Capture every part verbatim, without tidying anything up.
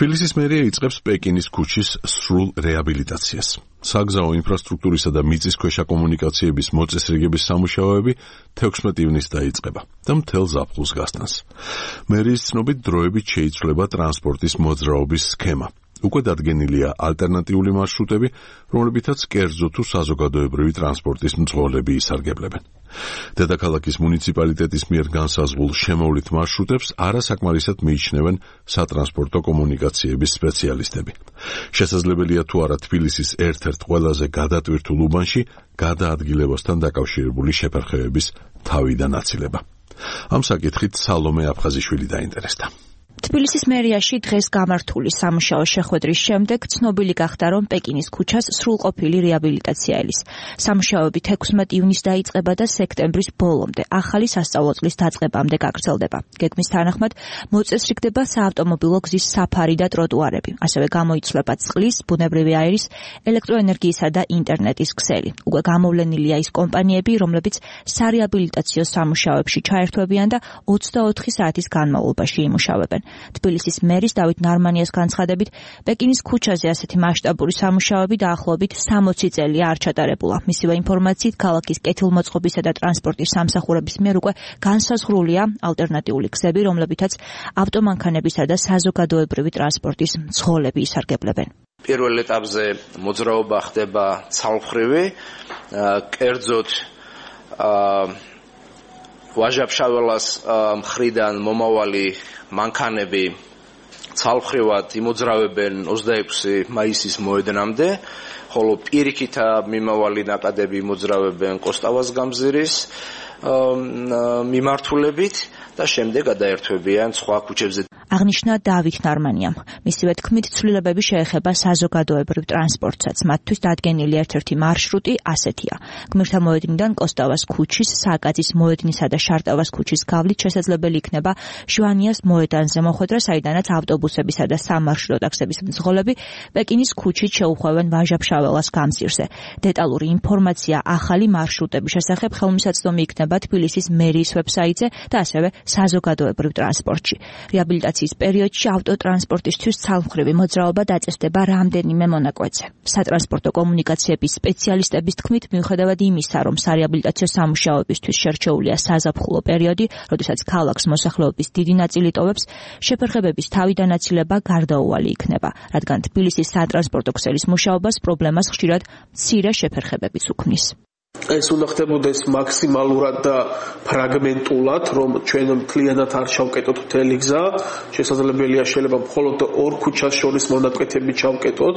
თბილისის მერია იწყებს პეკინის ქუჩის სრულ რეაბილიტაციას. საგზაო ინფრასტრუქტურისა და მიწისქვეშა კომუნიკაციების მოწესრიგების სამუშაოები თექვსმეტი ივნისს დაიწყება და მთელ ზაფხულს გასტანს. მერიის ცნობით დროებით შეიცვლება ტრანსპორტის მოძრაობის სქემა. უკვე დადგენილია ალტერნატიული მარშრუტები, რომლებითაც კერძო თუ საზოგადოებრივი ტრანსპორტის მძღოლები ისარგებლებენ. დედაქალაქის მუნიციპალიტეტის მიერ განსაზღვრულ შემოვლით მარშრუტებს არასაკმარისად მიიჩნევენ სატრანსპორტო კომუნიკაციების სპეციალისტები. შესაძლებელია თუ არა თბილისის ერთ-ერთ ყველაზე გადატვირთულ უბანში გადაადგილებასთან დაკავშირებული შეფერხებების თავიდან აცილება. ამ საკითხით სალომე აფხაზიშვილი დაინტერესდა. თბილისის მერიაში დღეს გამართული სამუშაო შეხვედრის შემდეგ ცნობილი გახდა, რომ პეკინის ქუჩას სრულყოფილი რეაბილიტაცია ელის. სამუშაოები თექვსმეტი ივნისს დაიწყება და სექტემბრის ბოლომდე, ახალი სასწავლო წლის დაწყებამდე გაგრძელდება. გეგმის თანახმად მოწესრიგდება საავტომობილო გზის საფარი და ტროტუარები, ასევე გამოიცვლება წყლის, ბუნებრივი აირის, ელექტროენერგიისა და ინტერნეტის ქსელი. უკვე გამოვლენილია ის კომპანიები, რომლებიც სარეაბილიტაციო სამუშაოებში ჩაერთვებიან და ოცდაოთხი საათის განმავლობაში იმუშავებენ. თბილისის მერის დავით ნარმანიას განცხადებით, პეკინის ქუჩაზე ასეთი მასშტაბური სამუშაოები დაახლოებით სამოცი წელია არ ჩატარებულა. მისივე ინფორმაციით, ქალაქის კეთილმოწყობისა და ტრანსპორტის სამსახურების მიერ უკვე განსაზღვრულია ალტერნატიული გზები, რომლებითაც ავტომანქანებისა და საზოგადოებრივი ტრანსპორტის მძღოლები ისარგებლებენ. პირველ ეტაპზე მოძრაობა ხდება ცალმხრივი, კერძოდ ვაჟა-ფშაველას მხრიდან მომავალი მანქანები ცალმხრივად იმოძრავებენ ოცდაექვსი მაისის მოედნამდე, ხოლო პირიქით მიმავალი ნაკადები იმოძრავებენ კოსტავას გამზირის მიმართულებით და შემდეგ გადაერთვებიან სხვა ქუჩებზე. აღნიშნა დავით ნარმანიამ. მისივე თქმით, ცვლილებები შეეხება საზოგადოებრივ ტრანსპორტსაც. მათთვის დადგენილი ერთ-ერთი მარშრუტი ასეთია. გმირთა მოედნიდან კოსტავას ქუჩის, სააკაძის მოედნისა და შარტავას ქუჩის გავლით შესაძლებელი იქნება ჟვანიას მოედანზე მოხვედრა, საიდანაც ავტობუსებისა და სამარშრუტო ტაქსების მძღოლები პეკინის ქუჩით შეუხვევენ ვაჟა-ფშაველას გამზირზე. დეტალური ინფორმაცია ახალი მარშრუტების შესახებ ხელმისაწვდომი იქნება თბილისის მერიის ვებსაიტზე და ასევე საზოგადოებრივ ტრანსპორტში. რეაბილიტაციის პერიოდში ავტოტრანსპორტისთვის ცალმხრივი მოძრაობა დაწესდება რამდენიმე მონაკვეთზე. სატრანსპორტო კომუნიკაციების სპეციალისტების თქმით, მიუხედავად იმისა, რომ სარეაბილიტაციო სამუშაოებისთვის შერჩეულია საზაფხულო პერიოდი, როდესაც ქალაქს მოსახლეობის დიდი ნაწილი ტოვებს, შეფერხებების თავიდან აცილება გარდაუვალი იქნება, რადგან თბილისის სატრანსპორტო ქსელის მუშაობას პრობლემას ხშირად მცირე შეფერხებებიც უქმნის. ეს უნდა ხდებოდეს მაქსიმალურად და ფრაგმენტულად, რომ ჩვენ მთლიანად არ ჩავკეტოთ მთელი გზა. შესაძლებელია შეიძლება მხოლოდ ორ ქუჩას შორის მონაკვეთები ჩავკეტოთ.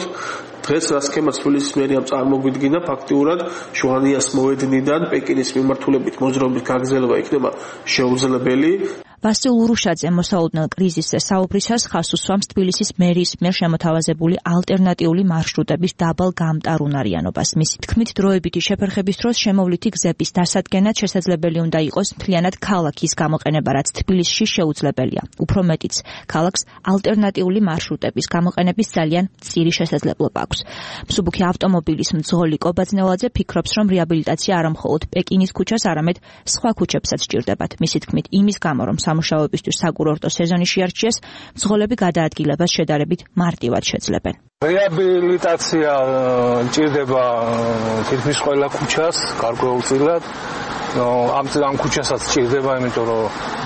დღეს რა სქემაც თბილისის მერიამ წარმოგვიდგინა, ფაქტიურად ჟვანიას მოედნიდან პეკინის მიმართულებით მოძრაობის გაგრძელება იქნება შეუძლებელი. ვასილ ურუშაძე მოსაუდნელ კრიზისზე საუბრისას ხაზს უსვამს თბილისის მერიის მიერ შემოთავაზებული ალტერნატიული მარშრუტების დაბალ გამტარუნარიანობას. მისი თქმით, დროებითი შეფერხების დროს შემოვლითი გზების დასადგენად შესაძლებელი უნდა იყოს მთლიანად ქალაქის გამოყენება, რაც თბილისში შეუძლებელია. უფრო მეტიც, ქალაქს ალტერნატიული მარშრუტების გამოყენების ძალიან მცირე შესაძლებლობა აქვს. მსუბუქი ავტომობილის მძღოლი კობაძნელაძე ფიქრობს, რომ რეაბილიტაცია არა მხოლოდ პეკინის ქუჩას, არამედ სხვა ქუჩებსაც სჭირდებათ. მისი თქმით, იმის გამო, რომ სამუშაოებისთვის საკურორტო სეზონი შეარჩიეს, მძღოლები გადაადგილებას შედარებით მარტივად შეძლებენ. რეაბილიტაცია ჭირდება თითქმის ყველა ქუჩას გარკვეულწილად. ამ ამ ქუჩასაც ჭირდება, იმიტომ რომ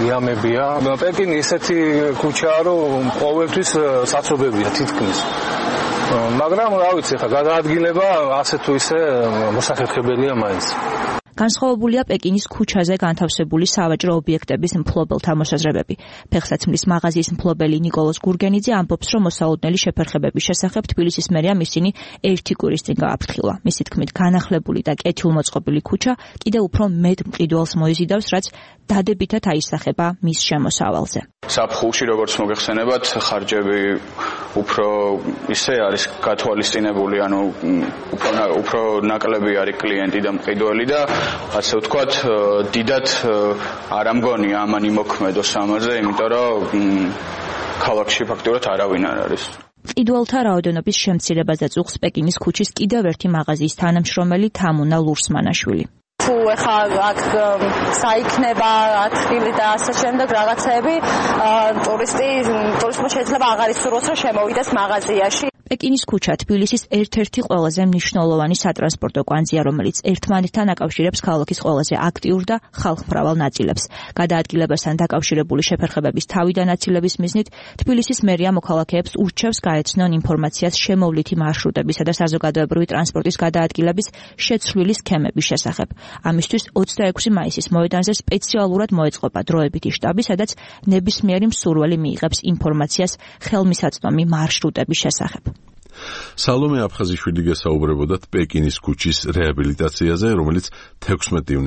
იამებია. პეკინი ისეთი ქუჩაა, რომ ყოველთვის საცობებია თითქმის. მაგრამ რა ვიცი, ხა გადაადგილება ასე თუ ისე მოსახერხებელია მაინც. განსხვავებულია პეკინის ქუჩაზე განთავსებული სავაჭრო ობიექტების მფლობელთა მოსაზრებები. ფეხსაცმლის მაღაზიის მფლობელი ნიკოლოზ გურგენიძე ამბობს, რომ მოსაუდნელი შეფერხებების შესახებ თბილისის მერიამ ისინი ერთი კვირის წინ გააფრთხილა. მისი თქმით, განახლებული და კეთილმოწყობილი ქუჩა კიდევ უფრო მეტ მყიდველს მოიზიდავს, რაც დადებითად აისახება მის შემოსავალზე. საფხულში, როგორც მოგეხსენებათ, ხარჯები უფრო ისე არის გათვალისწინებული, ანუ უფრო უფრო ნაკლები არის კლიენტი და მყიდველი და ასე ვთქვათ, დიდად არ ამგონია ამან იმოქმედოს ამაზე, იმიტომ რომ ქალაქში ფაქტობრივად არავინ არ არის. მყიდველთა რაოდენობის შემცირებას და წუხს პეკინის ქუჩის კიდევ ერთი მაღაზიის თანამშრომელი თამუნა ლურსმანაშვილი. თუ ეხა აქ საიქნება ათრილი და ასე შემდეგ რაღაცები ტურისტი ტურისტმა შეიძლება აღარ ისურვოს რომ შემოვიდეს მაღაზიაში. პეკინის ქუჩა თბილისის ერთ-ერთი ყველაზე მნიშვნელოვანი სატრანსპორტო კვანძია, რომელიც ერთმანეთთან აკავშირებს ქალაქის ყველაზე აქტიურ და ხალხმრავალ ნაწილებს. გადაადგილებასთან დაკავშირებული შეფერხებების თავიდანაცილების მიზნით თბილისის მერია მოქალაქეებს ურჩევს გაეცნონ ინფორმაციას შემოვლითი მარშრუტებისა და საზოგადოებრივი ტრანსპორტის გადაადგილების შეცვლილი სქემების შესახებ. ამისთვის ოცდაექვსი მაისის მოედანზე სპეციალურად მოეწყობა დროებითი შტაბი, სადაც ნებისმიერი მსურველი მიიღებს ინფორმაციას ხელმისაწვდომი მარშრუტების შესახებ. სალომე აფხაზიშვილი გესაუბრებოდათ პეკინის ქუჩის რეაბილიტაციაზე, რომელიც თექვსმეტი ივნის